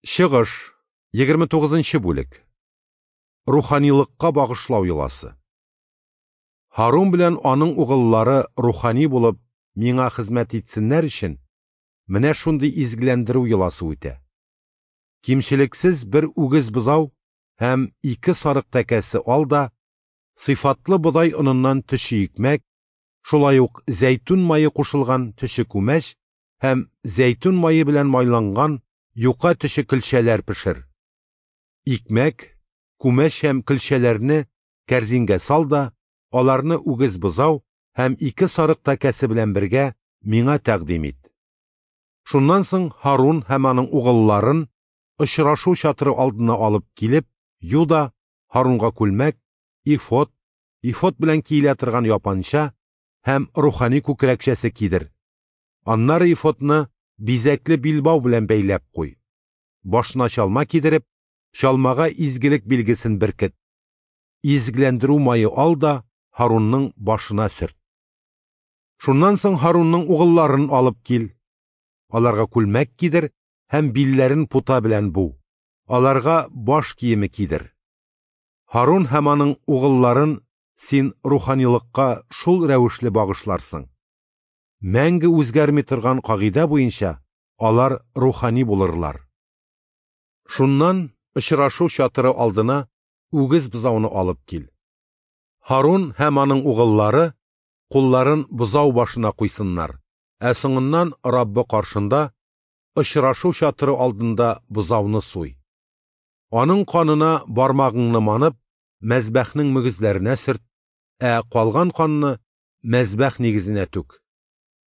Чыгыш, 29 бүлек. Руханилыкка багышлау йоласы. Һарун белән аның угыллары рухани булып миңа хезмәт итсеннәр өчен, менә шундый изгеләндерү йоласы үтә. Кимчелексез бер үгез бозау һәм ике сарык тәкәсе ал да, сыйфатлы бодай оныннан төче икмәк, шулай ук зәйтүн мае кушылган төче күмәч һәм зәйтүн мае белән майланган юка төче көлчәләр пешер. Икмәк, күмәч һәм көлчәләрне кәрзингә сал да, аларны үгез бозау һәм ике сарык тәкәсе белән бергә миңа тәкъдим ит. Шуннан соң Һарун һәм аның угылларын очрашу чатыры алдына алып килеп, Юда Һарунга күлмәк, ифот, ифот белән киелә торган япанча һәм рухани күкрәкчәсе кидер. Аннары ифотны бизәкле билбау белән бәйләп куй. Башына чалма кидереп, чалмага изгелек билгесен беркет. Изгеләндерү мае ал да Һарунның башына сөрт. Шуннан соң Һарунның угылларын алып кил. Аларга күлмәк кидер һәм билләрен пута белән бу. Аларга баш киеме кидер. Һарун һәм аның угылларын син руханилыкка шул рәвешле багышларсың. Мәңге үзгәрми торган кагыйдә буенча алар рухани булырлар. Шуннан очрашу чатыры алдына үгез бозауны алып кил. Һарун һәм аның угыллары кулларын бозау башына куйсыннар, ә соңыннан Раббы каршында очрашу чатыры алдында бозауны суй. Аның канына бармагыңны манып, мәзбәхнең мөгезләренә сөрт, ә калган канны мәзбәх нигезенә түк.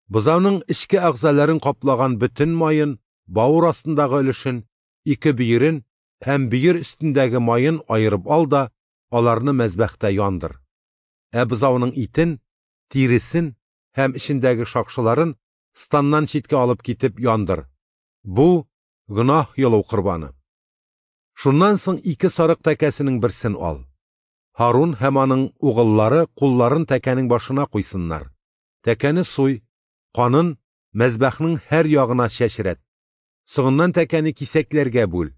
Бозауның эчке әгъзаларын каплаган бөтен маен, бавыр астындагы өлешен, ике бөерен һәм бөер өстендәге маен аерып ал да, аларны мәзбәхтә яндыр. Ә бозауның итен, тиресен һәм эчендәге шакшыларын станнан читкә алып китеп яндыр. Бу гөнаһ йолу корбаны. Шуннан соң ике сарык тәкәсенең берсен ал. Һарун һәм аның угыллары кулларын тәкәнең башына куйсыннар. Тәкәне суй, канын мәзбәхнең һәр ягына чәчрәт. Соңыннан тәкәне кисәкләргә бүл.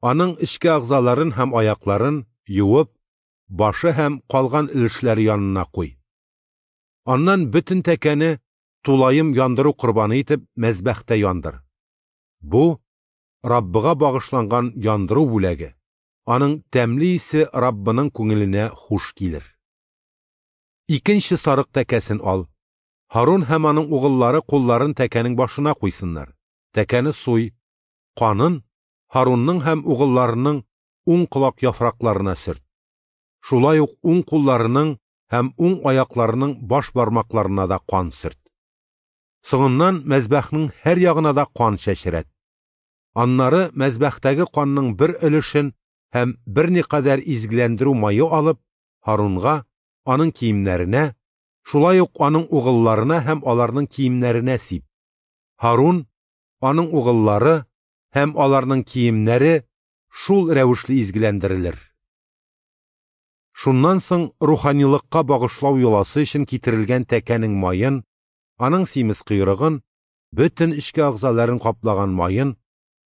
Аның эчке әгъзаларын һәм аякларын юып, башы һәм калган өлешләре янына куй. Аннан бөтен тәкәне тулаем яндыру корбаны итеп мәзбәхтә яндыр. Бу Раббыга багышланган яндыру бүләге. Аның тәмле исе Раббының күңеленә хуш килер. Икенче сарык тәкәсен ал. Һарун һәм аның угыллары кулларын тәкәнең башына куйсыннар. Тәкәне суй, канын Һарунның һәм угылларының уң колак яфракларына сөрт. Шулай ук уң кулларының һәм уң аякларының баш бармакларына да кан сөрт. Соңыннан мәзбәхнең һәр ягына да кан чәчрәт. Аннары мәзбәхтәге канның бер өлешен һәм берникадәр изгеләндерү мае алып, Һарунга, аның киемнәренә, шулай ук аның угылларына һәм аларның киемнәренә сип. Һарун, аның угыллары һәм аларның киемнәре шул рәвешле изгеләндерелер. Шуннан соң руханилыкка багышлау йоласы өчен китерелгән тәкәнең маен, аның симез койрыгын, бөтен эчке әгъзаларын каплаган маен,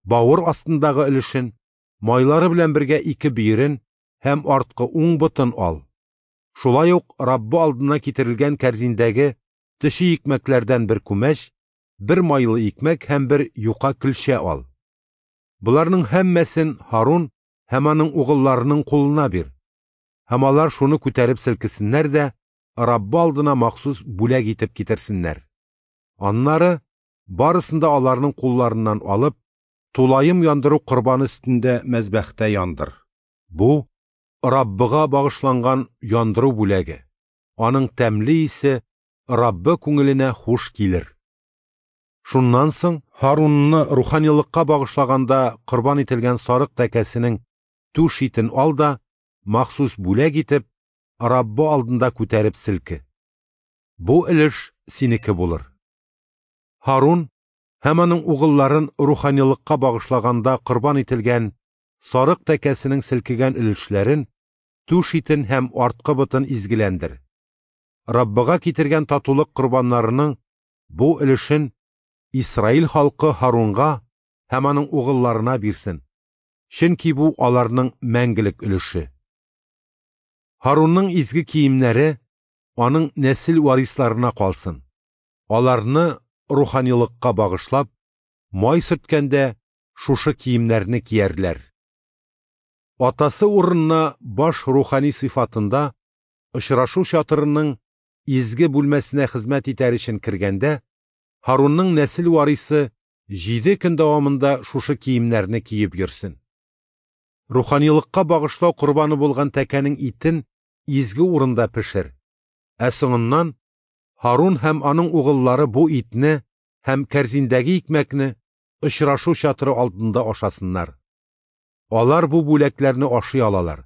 бавыр астындагы өлешен, майлары белән бергә ике бөерен һәм арткы уң ботын ал. Шулай ук Раббы алдына китерелгән кәрзиндәге төче икмәкләрдән бер күмәч, бер майлы икмәк һәм бер юка көлчә ал. Боларның һәммәсен Һарун һәм аның угылларының кулына бир. Һәм алар шуны күтәреп селкесеннәр дә Раббы алдына махсус бүләк итеп китерсеннәр. Аннары барысын да аларның кулларыннан алып, тулаем яндыру корбаны өстендә мәзбәхтә яндыр. Бу Раббыга багышланган яндыру бүләге. Аның тәмле исе Раббы күңеленә хуш килер. Шуннан соң Һарунны руханилыкка багышлаганда корбан ителгән сарык тәкәсенең түш итен ал да, махсус бүләк итеп, Раббы алдында күтәреп селке. Бу өлеш синеке булыр. Һарун һәм аның угылларын руханилыкка багышлаганда корбан ителгән сарык тәкәсенең селкегән өлешләрен, түш итен һәм арткы ботын изгеләндер. Раббыга китергән татулык корбаннарының бу өлешен Исраил халкы Һарунга һәм аның угылларына бирсен, чөнки бу аларның мәңгелек өлеше. Һарунның изге киемнәре аның нәсел варисларына калсын. Аларны руханилыкка багышлап, май сөрткәндә шушы киемнәрне киярләр. Атасы урынына баш рухани сыйфатында очрашу чатырының изге бүлмәсенә хезмәт итәр өчен кергәндә, Һарунның нәсел варисы 7 көн дәвамында шушы киемнәрне киеп йөрсен. Руханилыкка багышлау корбаны булган тәкәнең итен изге урында пешер. Ә соңыннан Һарун һәм аның угыллары бу итне һәм кәрзиндәге икмәкне очрашу чатыры алдында ашасыннар. Алар бу бүләкләрне ашый алалар.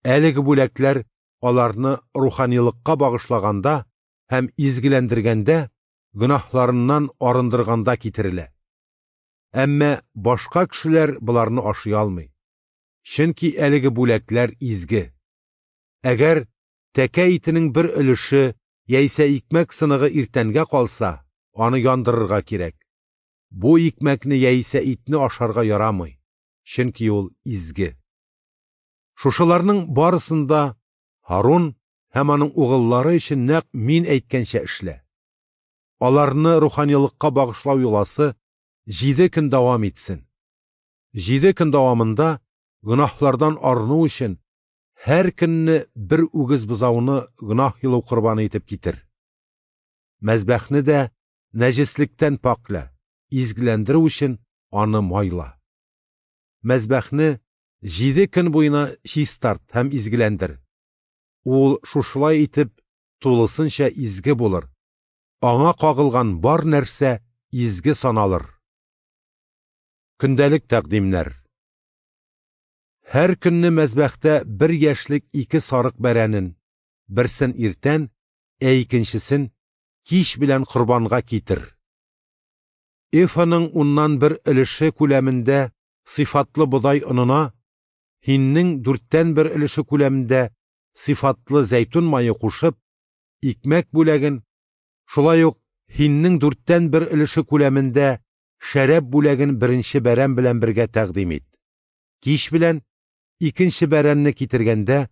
Әлеге бүләкләр аларны руханилыкка багышлаганда һәм изгеләндергәндә, гөнаһларыннан арындырганда китерелә. Әмма башка кешеләр боларны ашый алмый. Чөнки әлеге бүләкләр изге. Әгәр тәкә итенең бер өлеше яисә икмәк сыныгы иртәнгә калса, аны яндырырга кирәк. Бу икмәкне яисә итне ашарга ярамый, чөнки ул изге. Шушыларның барысын да Һарун һәм аның угыллары өчен нәкъ мин әйткәнчә эшлә. Аларны руханилыкка багышлау йоласы 7 көн дәвам итсен. 7 көн дәвамында гөнаһлардан арыну өчен һәр көнне бер үгез бозауны гөнаһ йолу корбаны итеп китер. Мәзбәхне дә нәҗеслектән пакла, изгеләндерү өчен аны майла. Мәзбәхне 7 көн буена чистарт һәм изгеләндер. Ул шушылай итеп тулысынча изге булыр. Аңа кагылган бар нәрсә изге саналыр. Көндәлек тәкъдимнәр. Һәр көнне мәзбәхтә 1 яшьлек 2 сарык бәрәнен, берсен иртән, ә икенчесен кич белән корбанга китер. Эфаның 1/10 өлеше күләмендә сыйфатлы бодай онына, һиннең 1/4 өлеше күләмендә сыйфатлы зәйтүн мае кушып, икмәк бүләген, шулай ук һиннең 1/4 өлеше күләмендә шәраб бүләген беренче бәрән белән бергә тәкъдим ит. Кич белән икенче бәрәнне китергәндә,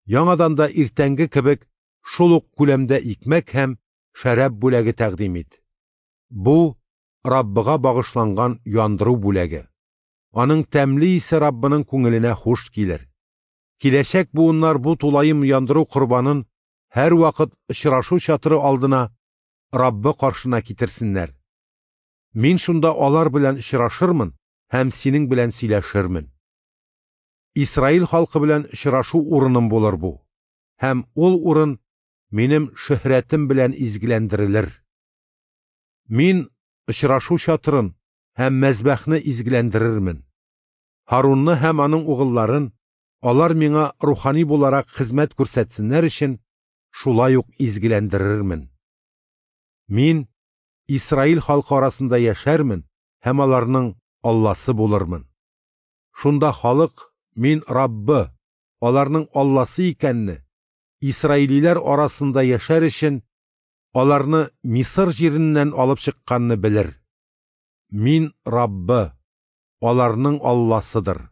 яңадан да иртәнге кебек шул ук күләмдә икмәк һәм шәраб бүләге тәкъдим ит. Бу Раббыга багышланган яндыру бүләге. Аның тәмле исе Раббының күңеленә хуш килер. Киләчәк буыннар бу тулаем яндыру корбанын һәр вакыт очрашу чатыры алдына Раббы каршына китерсеннәр. Мин шунда алар белән очрашырмын һәм синең белән сөйләшермен. Исраил халкы белән очрашу урыным булыр бу. Һәм ул урын минем шөһрәтем белән изгеләндерелер. Мин очрашу чатырын һәм мәзбәхне изгеләндерермен. Һарунны һәм аның угылларын, алар миңа рухани буларак хезмәт күрсәтсеннәр өчен шулай ук изгеләндерермен. Мин Исраил халкы арасында яшәрмен һәм аларның Алласы булырмын. Шунда халык мин Раббы, аларның Алласы икәнне, Исраилиләр арасында яшәр өчен аларны Мисыр җиреннән алып чыкканны белер. Мин Раббы, аларның Алласыдыр.